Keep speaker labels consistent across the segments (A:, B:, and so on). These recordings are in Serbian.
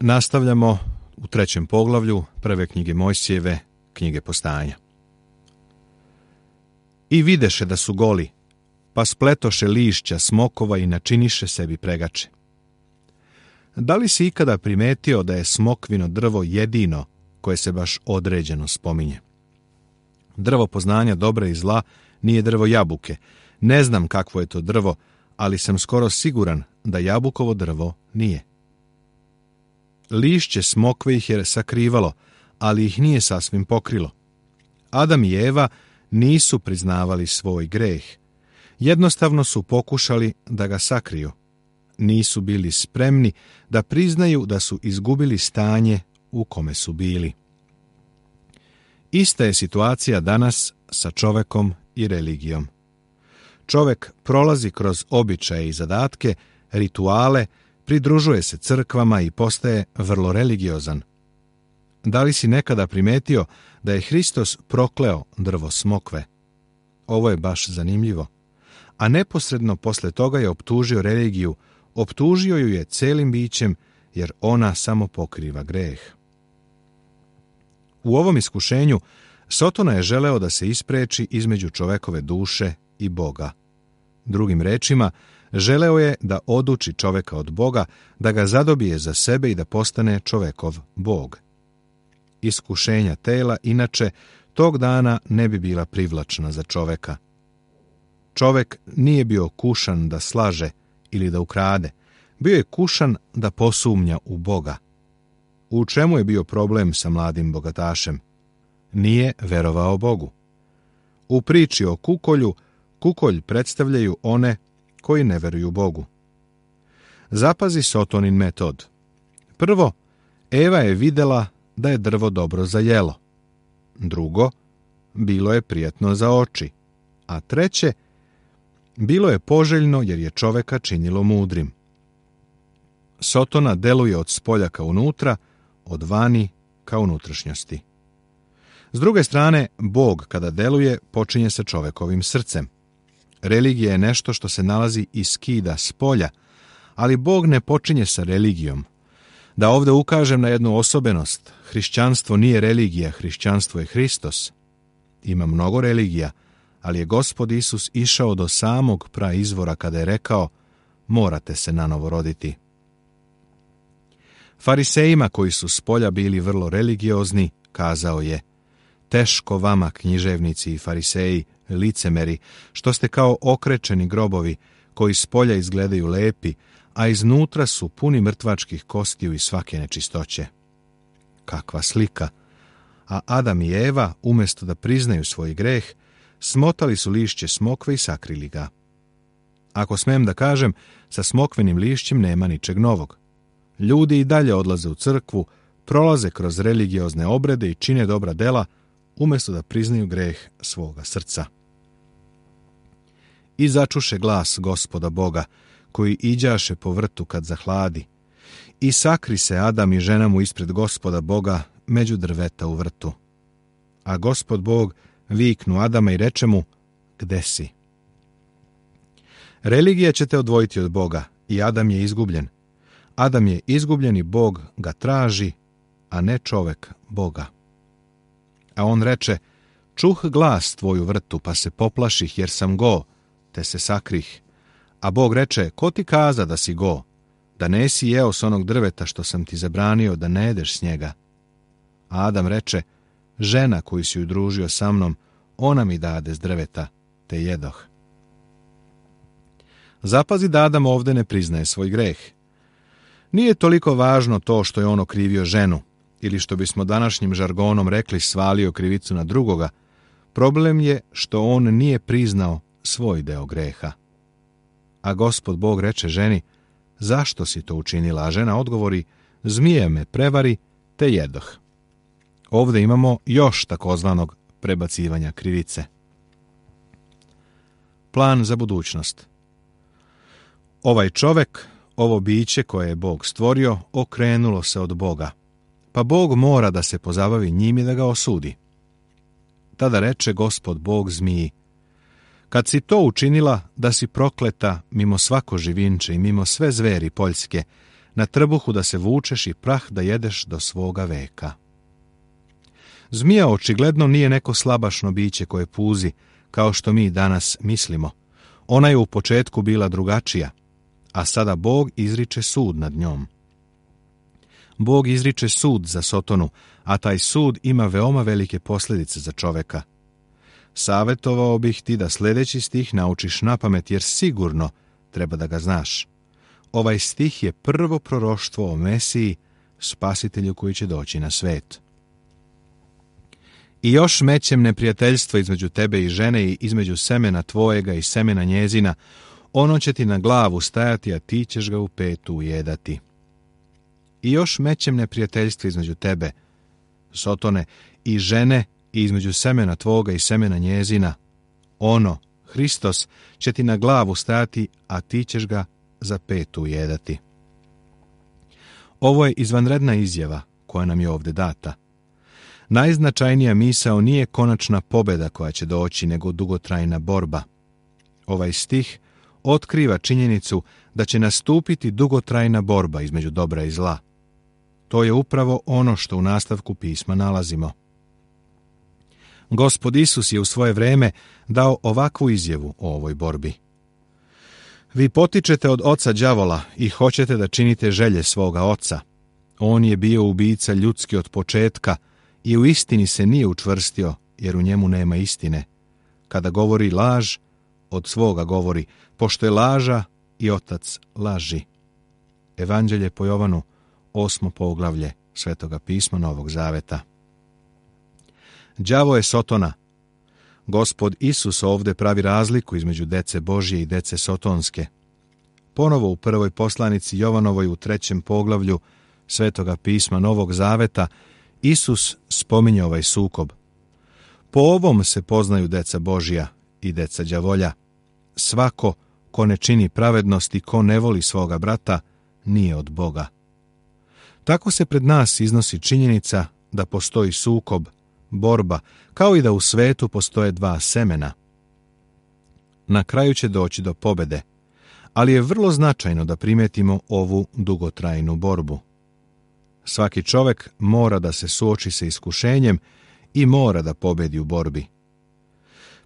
A: Nastavljamo u 3. poglavlju prve knjige Mojsijeve, knjige Postanja. I videše da su goli, pa spletoše lišća smokova i načiniše sebi pregače. Da li si ikada primetio da je smokvino drvo jedino koje se baš određeno spominje? Drvo poznanja dobra i zla nije drvo jabuke. Ne znam kakvo je to drvo, ali sam skoro siguran da jabukovo drvo nije. Lišće smokve ih je sakrivalo, ali ih nije sasvim pokrilo. Adam i Eva nisu priznavali svoj greh. Jednostavno su pokušali da ga sakriju. Nisu bili spremni da priznaju da su izgubili stanje u kome su bili. Ista je situacija danas sa čovekom i religijom. Čovek prolazi kroz običaje i zadatke, rituale, pridružuje se crkvama i postaje vrlo religiozan. Da li si nekada primetio da je Hristos prokleo drvo smokve? Ovo je baš zanimljivo. A neposredno posle toga je optužio religiju, optužio ju je celim bićem, jer ona samo pokriva greh. U ovom iskušenju Sotona je želeo da se ispreči između čovekove duše i Boga. Drugim rečima, želeo je da oduči čoveka od Boga, da ga zadobije za sebe i da postane čovekov Bog. Iskušenja tela, inače, tog dana ne bi bila privlačna za čoveka. Čovek nije bio kušan da slaže ili da ukrade, bio je kušan da posumnja u Boga. U čemu je bio problem sa mladim bogatašem? Nije verovao Bogu. U priči o kukolju, kukolj predstavljaju one koji ne veruju Bogu. Zapazi Sotonin metod. Prvo, Eva je videla da je drvo dobro za jelo. Drugo, bilo je prijatno za oči. A treće, bilo je poželjno jer je čoveka činilo mudrim. Sotona deluje od spolja ka unutra, od vani ka unutrašnjosti. S druge strane, Bog kada deluje počinje sa čovekovim srcem. Religija je nešto što se nalazi i skida s polja, ali Bog ne počinje sa religijom. Da ovdje ukažem na jednu osobenost, hrišćanstvo nije religija, hrišćanstvo je Hristos. Ima mnogo religija, ali je Gospod Isus išao do samog praizvora kada je rekao: morate se nanovo roditi. Farisejima koji su s polja bili vrlo religiozni, kazao je: teško vama, književnici i fariseji, licemeri, što ste kao okrečeni grobovi, koji s polja izgledaju lepi, a iznutra su puni mrtvačkih kostiju i svake nečistoće. Kakva slika! A Adam i Eva, umjesto da priznaju svoj greh, smotali su lišće smokve i sakrili ga. Ako smem da kažem, sa smokvenim lišćem nema ničeg novog. Ljudi i dalje odlaze u crkvu, prolaze kroz religiozne obrede i čine dobra dela, umjesto da priznaju greh svoga srca. I začuše glas Gospoda Boga, koji iđaše po vrtu kad zahladi. I sakri se Adam i žena mu ispred Gospoda Boga među drveta u vrtu. A Gospod Bog viknu Adama i reče mu: gde si? Religija će te odvojiti od Boga i Adam je izgubljen. Adam je izgubljen i Bog ga traži, a ne čovek Boga. A on reče: čuh glas tvoj u vrtu, pa se poplaših jer sam go, te se sakrih. A Bog reče: ko ti kaza da si go, da nesi jeo s onog drveta što sam ti zabranio da ne jedeš s njega? A Adam reče: žena koju si udružio sa mnom, ona mi dade s drveta, te jedoh. Zapazi da Adam ovdje ne priznaje svoj greh. Nije toliko važno to što je on okrivio ženu, ili što bismo današnjim žargonom rekli svalio krivicu na drugoga. Problem je što on nije priznao svoj deo greha. A Gospod Bog reče ženi: zašto si to učinila? A žena odgovori: zmija me prevari, te jedoh. Ovdje imamo još takozvanog prebacivanja krivice. Plan za budućnost. Ovaj čovek, ovo biće koje je Bog stvorio, okrenulo se od Boga, pa Bog mora da se pozabavi njim i da ga osudi. Tada reče Gospod Bog zmiji: kad si to učinila, da si prokleta mimo svako živinče i mimo sve zveri poljske, na trbuhu da se vučeš i prah da jedeš do svoga veka. Zmija očigledno nije neko slabašno biće koje puzi, kao što mi danas mislimo. Ona je u početku bila drugačija, a sada Bog izriče sud nad njom. Bog izriče sud za Sotonu, a taj sud ima veoma velike posljedice za čoveka. Savjetovao bih ti da sljedeći stih naučiš napamet, jer sigurno treba da ga znaš. Ovaj stih je prvo proroštvo o Mesiji, spasitelju koji će doći na svet. I još mećem neprijateljstvo između tebe i žene i između semena tvojega i semena njezina, ono će ti na glavu stajati, a ti ćeš ga u petu ujedati. I još mećem neprijateljstvo između tebe, Sotone, i žene i između semena tvoga i semena njezina, ono, Hristos, će ti na glavu stajati, a ti ćeš ga za petu ujedati. Ovo je izvanredna izjava koja nam je ovdje data. Najznačajnija misao nije konačna pobjeda koja će doći, nego dugotrajna borba. Ovaj stih otkriva činjenicu da će nastupiti dugotrajna borba između dobra i zla. To je upravo ono što u nastavku pisma nalazimo. Gospod Isus je u svoje vrijeme dao ovakvu izjavu o ovoj borbi. Vi potičete od oca đavola i hoćete da činite želje svoga oca. On je bio ubica ljudski od početka i u istini se nije učvrstio, jer u njemu nema istine. Kada govori laž, od svoga govori, pošto je laža i otac laži. Evanđelje po Jovanu, 8. poglavlje Svetoga pisma Novog Zaveta. Đavo je Sotona. Gospod Isus ovdje pravi razliku između dece Božje i dece Sotonske. Ponovo u prvoj poslanici Jovanovoj u 3. poglavlju Svetoga pisma Novog Zaveta Isus spominje ovaj sukob. Po ovom se poznaju deca Božja i deca đavolja. Svako ko ne čini pravednost i ko ne voli svoga brata, nije od Boga. Tako se pred nas iznosi činjenica da postoji sukob, borba, kao i da u svetu postoje dva semena. Na kraju će doći do pobjede, ali je vrlo značajno da primetimo ovu dugotrajnu borbu. Svaki čovjek mora da se suoči sa iskušenjem i mora da pobjedi u borbi.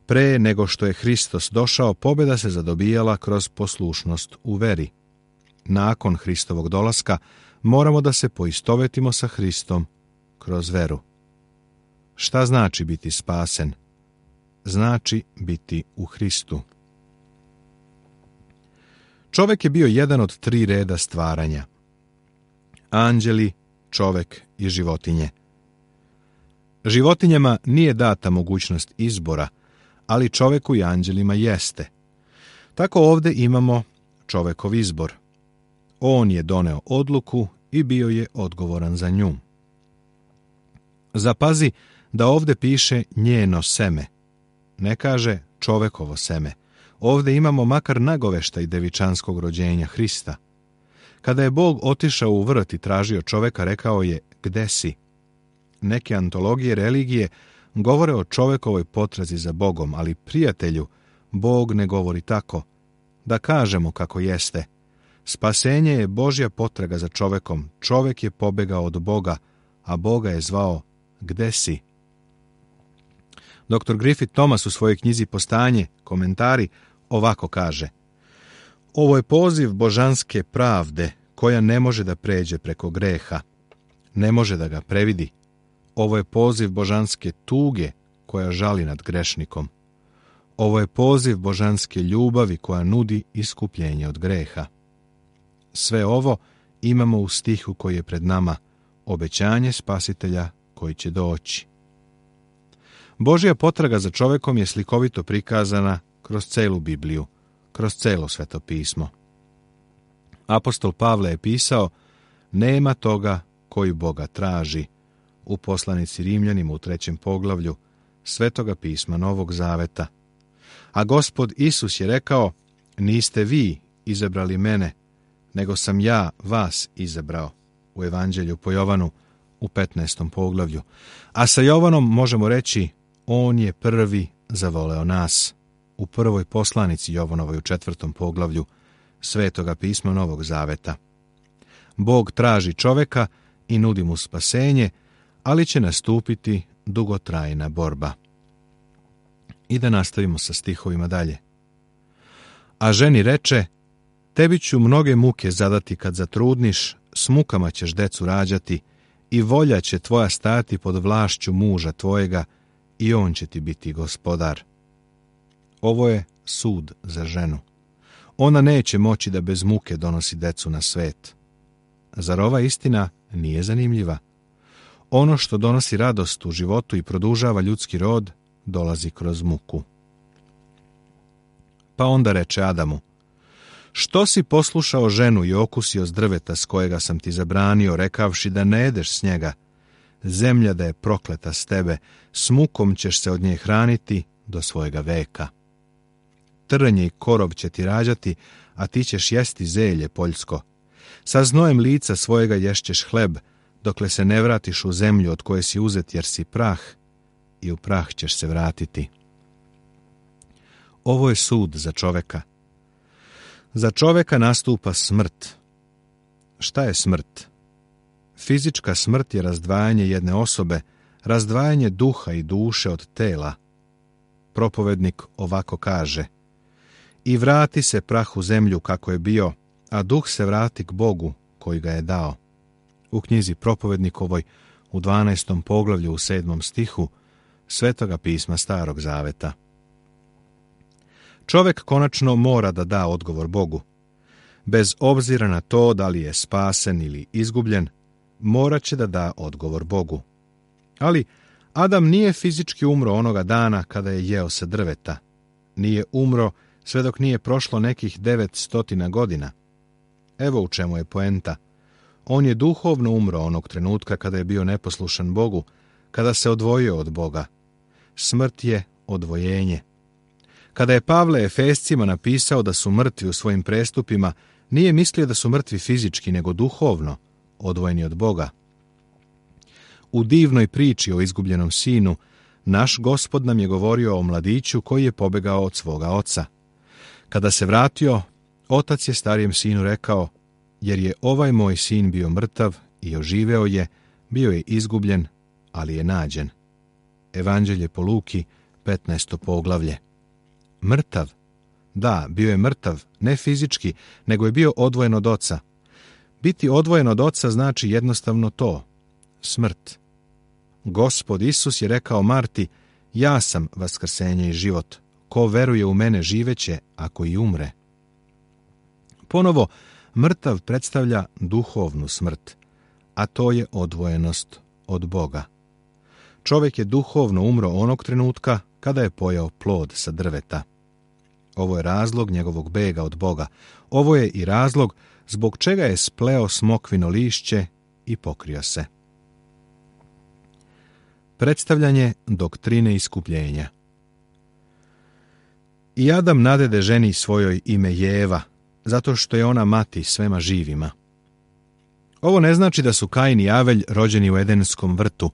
A: Pre nego što je Hristos došao, pobjeda se zadobijala kroz poslušnost u veri. Nakon Hristovog dolaska moramo da se poistovetimo sa Hristom kroz veru. Šta znači biti spasen? Znači biti u Hristu. Čovjek je bio jedan od 3 reda stvaranja. Anđeli, čovjek i životinje. Životinjama nije data mogućnost izbora, ali čovjeku i anđelima jeste. Tako ovdje imamo čovjekov izbor. On je doneo odluku i bio je odgovoran za nju. Zapazi da ovdje piše njeno seme. Ne kaže čovjekovo seme. Ovdje imamo makar nagoveštaj devičanskog rođenja Hrista. Kada je Bog otišao u vrt i tražio čovjeka, rekao je, gde si? Neke antologije religije govore o čovjekovoj potrazi za Bogom, ali prijatelju, Bog ne govori tako. Da kažemo kako jeste. Spasenje je Božja potraga za čovjekom. Čovjek je pobegao od Boga, a Boga je zvao, gde si? Dr. Griffith Thomas u svojoj knjizi Postanje, komentari, ovako kaže: ovo je poziv božanske pravde koja ne može da pređe preko greha, ne može da ga previdi. Ovo je poziv božanske tuge koja žali nad grešnikom. Ovo je poziv božanske ljubavi koja nudi iskupljenje od greha. Sve ovo imamo u stihu koji je pred nama, obećanje spasitelja koji će doći. Božja potraga za čovjekom je slikovito prikazana kroz celu Bibliju, kroz celo Sveto pismo. Apostol Pavle je pisao, nema toga koji Boga traži, u poslanici Rimljanima u 3. poglavlju Svetoga pisma Novog Zaveta. A Gospod Isus je rekao, niste vi izabrali mene, nego sam ja vas izabrao, u Evanđelju po Jovanu u 15. poglavlju. A sa Jovanom možemo reći, on je prvi zavoleo nas, u prvoj poslanici Jovanovoj u 4. poglavlju Svetoga pisma Novog Zaveta. Bog traži čoveka i nudi mu spasenje, ali će nastupiti dugotrajna borba. I da nastavimo sa stihovima dalje. A ženi reče, tebi ću mnoge muke zadati kad zatrudniš, s mukama ćeš decu rađati i volja će tvoja stajati pod vlašću muža tvojega i on će ti biti gospodar. Ovo je sud za ženu. Ona neće moći da bez muke donosi decu na svet. Zar ova istina nije zanimljiva? Ono što donosi radost u životu i produžava ljudski rod, dolazi kroz muku. Pa onda reče Adamu, što si poslušao ženu i okusio s drveta s kojega sam ti zabranio, rekavši da ne jedeš s njega? Zemlja da je prokleta s tebe, s mukom ćeš se od nje hraniti do svojega veka. Trnje i korov će ti rađati, a ti ćeš jesti zelje poljsko. Sa znojem lica svojega ješćeš hleb, dokle se ne vratiš u zemlju od koje si uzet jer si prah, i u prah ćeš se vratiti. Ovo je sud za čoveka. Za čoveka nastupa smrt. Šta je smrt? Fizička smrt je razdvajanje jedne osobe, razdvajanje duha i duše od tela. Propovednik ovako kaže, i vrati se prah u zemlju kako je bio, a duh se vrati k Bogu koji ga je dao. U knjizi Propovednikovoj u 12. poglavlju u 7. stihu Svetoga pisma Starog zaveta. Čovjek konačno mora da da odgovor Bogu. Bez obzira na to da li je spasen ili izgubljen, morat će da da odgovor Bogu. Ali Adam nije fizički umro onoga dana kada je jeo sa drveta. Nije umro sve dok nije prošlo nekih 900 godina. Evo u čemu je poenta. On je duhovno umro onog trenutka kada je bio neposlušan Bogu, kada se odvojio od Boga. Smrt je odvojenje. Kada je Pavle Efescima napisao da su mrtvi u svojim prestupima, nije mislio da su mrtvi fizički, nego duhovno, odvojeni od Boga. U divnoj priči o izgubljenom sinu, naš Gospod nam je govorio o mladiću koji je pobegao od svoga oca. Kada se vratio, otac je starijem sinu rekao, jer je ovaj moj sin bio mrtav i oživeo je, bio je izgubljen, ali je nađen. Evanđelje po Luki, 15. poglavlje. Mrtav? Da, bio je mrtav, ne fizički, nego je bio odvojen od oca. Biti odvojen od oca znači jednostavno to, smrt. Gospod Isus je rekao Marti, ja sam vaskrsenje i život. Ko veruje u mene živeće, ako i umre. Ponovo, mrtav predstavlja duhovnu smrt, a to je odvojenost od Boga. Čovjek je duhovno umro onog trenutka kada je pojeo plod sa drveta. Ovo je razlog njegovog bega od Boga. Ovo je i razlog zbog čega je spleo smokvino lišće i pokrio se. Predstavljanje doktrine iskupljenja. I Adam nadede ženi svojoj ime Jeva, zato što je ona mati svema živima. Ovo ne znači da su Kain i Avelj rođeni u Edenskom vrtu,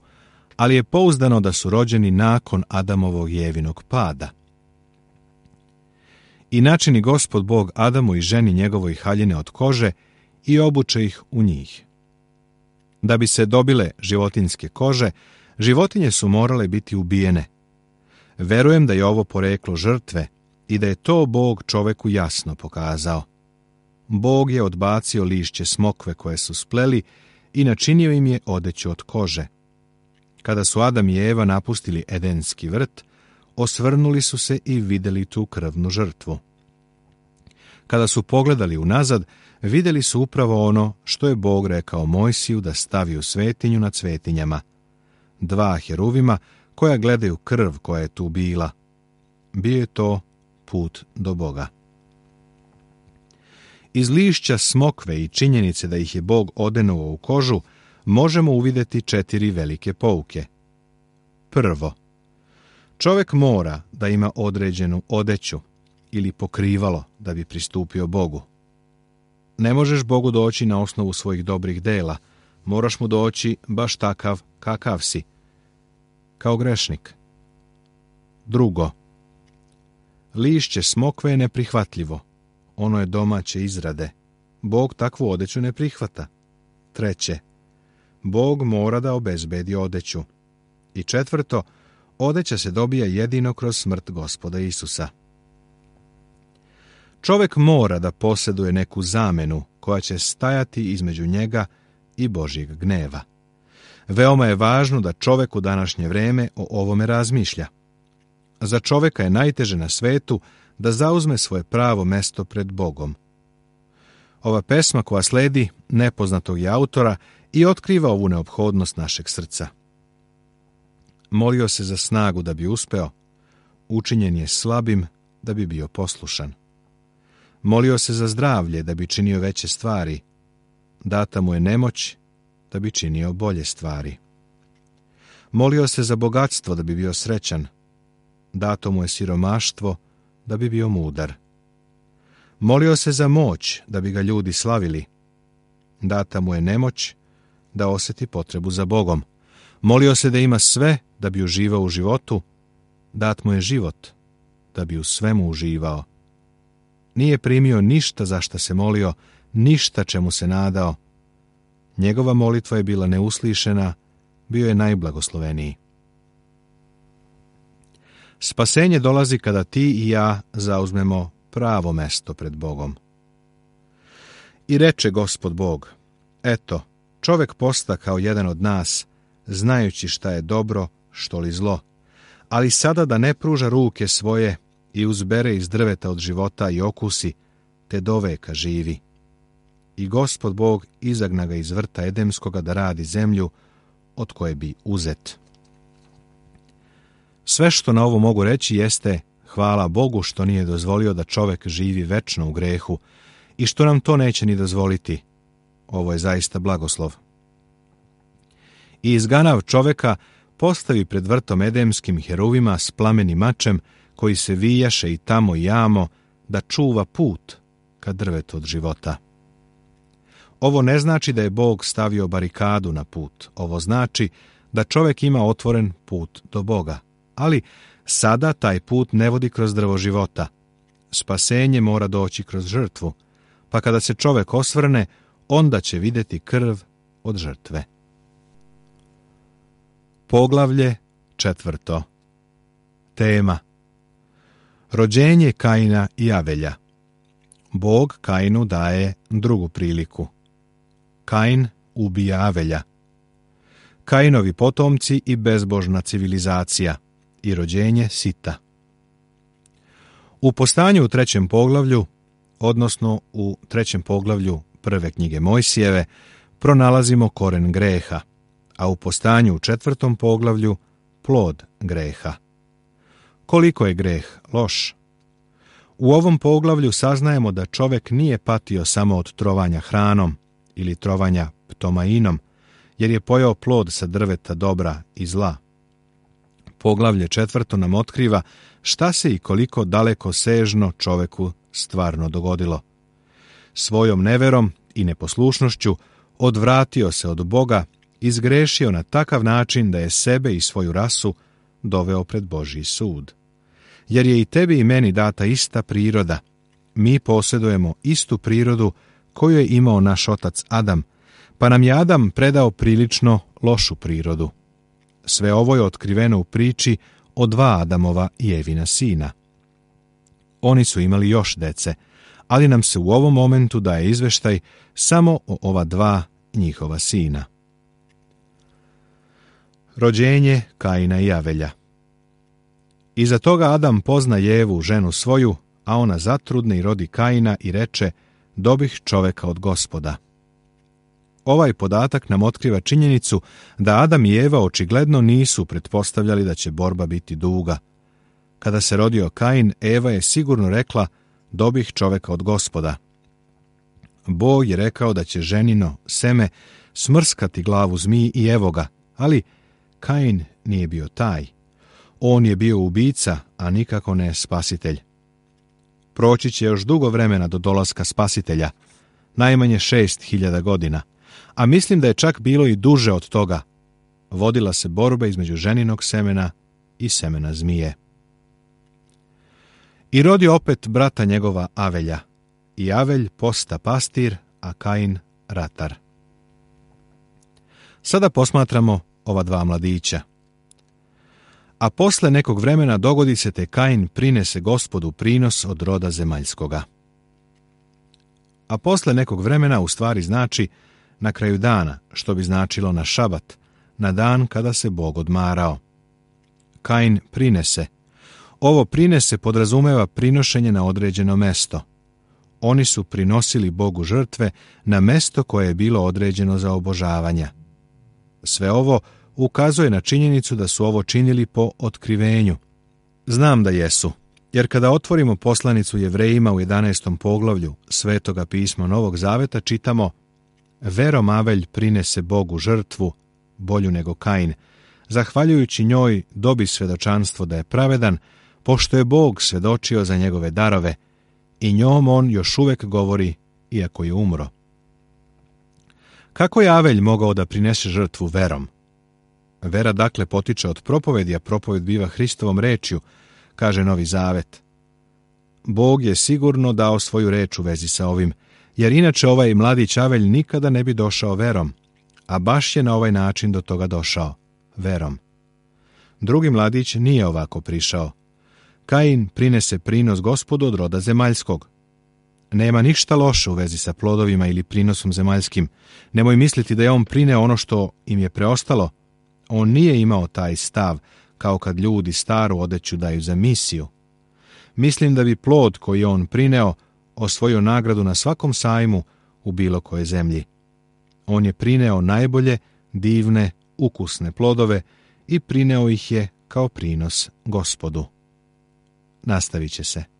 A: ali je pouzdano da su rođeni nakon Adamovog Jevinog pada. I načini Gospod Bog Adamu i ženi njegovoj haljine od kože i obuče ih u njih. Da bi se dobile životinjske kože, životinje su morale biti ubijene. Verujem da je ovo poreklo žrtve i da je to Bog čoveku jasno pokazao. Bog je odbacio lišće smokve koje su spleli i načinio im je odeću od kože. Kada su Adam i Eva napustili Edenski vrt, osvrnuli su se i vidjeli tu krvnu žrtvu. Kada su pogledali unazad, vidjeli su upravo ono što je Bog rekao Mojsiju da stavi u svetinju nad svetinjama. 2 heruvima koja gledaju krv koja je tu bila. Bio je to put do Boga. Iz lišća smokve i činjenice da ih je Bog odenuo u kožu, možemo uvidjeti 4 velike pouke. Prvo, čovjek mora da ima određenu odeću ili pokrivalo da bi pristupio Bogu. Ne možeš Bogu doći na osnovu svojih dobrih dela, moraš mu doći baš takav kakav si, kao grešnik. Drugo, lišće smokve je neprihvatljivo, ono je domaće izrade. Bog takvu odeću ne prihvata. treće, Bog mora da obezbedi odeću. I četvrto, odeća se dobija jedino kroz smrt Gospoda Isusa. Čovjek mora da posjeduje neku zamenu koja će stajati između njega i Božjeg gneva. Veoma je važno da čovjek u današnje vrijeme o ovome razmišlja. Za čovjeka je najteže na svetu da zauzme svoje pravo mesto pred Bogom. Ova pesma koja sledi nepoznatog je autora i otkriva ovu neophodnost našeg srca. Molio se za snagu da bi uspeo, učinjen je slabim da bi bio poslušan. Molio se za zdravlje da bi činio veće stvari, data mu je nemoć da bi činio bolje stvari. Molio se za bogatstvo da bi bio srećan, dato mu je siromaštvo da bi bio mudar. Molio se za moć da bi ga ljudi slavili, data mu je nemoć da osjeti potrebu za Bogom. Molio se da ima sve da bi uživao u životu, dat mu je život da bi u svemu uživao. Nije primio ništa za šta se molio, ništa čemu se nadao. Njegova molitva je bila neuslišena, bio je najblagosloveniji. Spasenje dolazi kada ti i ja zauzmemo pravo mesto pred Bogom. I reče Gospod Bog, eto, čovjek posta kao jedan od nas, znajući šta je dobro, što li zlo, ali sada da ne pruža ruke svoje i uzbere iz drveta od života i okusi, te doveka živi. I Gospod Bog izagna ga iz vrta Edemskoga da radi zemlju od koje bi uzet. Sve što na ovo mogu reći jeste hvala Bogu što nije dozvolio da čovjek živi večno u grehu i što nam to neće ni dozvoliti. Ovo je zaista blagoslov. I izganav čovjeka postavi pred vrtom Edemskim heruvima s plamenim mačem koji se vijaše i tamo i jamo da čuva put ka drvetu od života. Ovo ne znači da je Bog stavio barikadu na put. Ovo znači da čovjek ima otvoren put do Boga. Ali sada taj put ne vodi kroz drvo života. Spasenje mora doći kroz žrtvu, pa kada se čovjek osvrne, onda će vidjeti krv od žrtve. Poglavlje 4. Tema: rođenje Kaina i Avelja. Bog Kainu daje drugu priliku. Kain ubija Avelja. Kainovi potomci i bezbožna civilizacija i rođenje Sita. U postanju u 3. poglavlju, odnosno u 3. poglavlju prve knjige Mojsijeve, pronalazimo koren greha, a u postanju u 4. poglavlju plod greha. Koliko je greh loš? U ovom poglavlju saznajemo da čovjek nije patio samo od trovanja hranom ili trovanja ptomainom, jer je pojeo plod sa drveta dobra i zla. Poglavlje 4. nam otkriva šta se i koliko daleko sežno čovjeku stvarno dogodilo. Svojom neverom i neposlušnošću odvratio se od Boga, izgrešio na takav način da je sebe i svoju rasu doveo pred Božji sud. Jer je i tebi i meni data ista priroda. Mi posjedujemo istu prirodu koju je imao naš otac Adam, pa nam je Adam predao prilično lošu prirodu. Sve ovo je otkriveno u priči o 2 Adamova i Evina sina. Oni su imali još dece, ali nam se u ovom momentu daje izveštaj samo o ova 2 njihova sina. Rođenje Kaina i Avelja. Iza toga Adam pozna Jevu, ženu svoju, a ona zatrudne i rodi Kaina i reče, dobih čoveka od Gospoda. Ovaj podatak nam otkriva činjenicu da Adam i Eva očigledno nisu pretpostavljali da će borba biti duga. Kada se rodio Kain, Eva je sigurno rekla, dobih čoveka od Gospoda. Bog je rekao da će ženino seme smrskati glavu zmiji i evo ga, ali Kain nije bio taj. On je bio ubica, a nikako ne spasitelj. Proći će još dugo vremena do dolaska spasitelja, najmanje 6000 godina, a mislim da je čak bilo i duže od toga. Vodila se borba između ženinog semena i semena zmije. I rodi opet brata njegova Avelja, i Avelj posta pastir, a Kain ratar. Sada posmatramo ova dva mladića. A posle nekog vremena dogodi se te Kain prinese Gospodu prinos od roda zemaljskoga. A posle nekog vremena u stvari znači na kraju dana, što bi značilo na šabat, na dan kada se Bog odmarao. Kain prinese. Ovo prinese podrazumeva prinošenje na određeno mesto. Oni su prinosili Bogu žrtve na mesto koje je bilo određeno za obožavanja. Sve ovo ukazuje na činjenicu da su ovo činili po otkrivenju. Znam da jesu, jer kada otvorimo poslanicu Jevrejima u 11. poglavlju Svetoga pisma Novog Zaveta čitamo: verom Avelj prinese Bogu žrtvu, bolju nego Kain, zahvaljujući njoj dobi svedočanstvo da je pravedan, pošto je Bog svedočio za njegove darove i njom on još uvek govori, iako je umro. Kako je Avelj mogao da prinese žrtvu verom? Vera dakle potiče od propovedi, a propoved biva Hristovom rečju, kaže Novi Zavet. Bog je sigurno dao svoju reč u vezi sa ovim, jer inače ovaj mladić Avelj nikada ne bi došao verom, a baš je na ovaj način do toga došao, verom. Drugi mladić nije ovako prišao. Kain prinese prinos Gospodu od roda zemaljskog. Nema ništa loše u vezi sa plodovima ili prinosom zemaljskim. Nemoj misliti da je on prineo ono što im je preostalo. On nije imao taj stav, kao kad ljudi staru odeću daju za misiju. Mislim da bi plod koji je on prineo osvojio nagradu na svakom sajmu u bilo kojoj zemlji. On je prineo najbolje, divne, ukusne plodove i prineo ih je kao prinos Gospodu. Nastavit će se.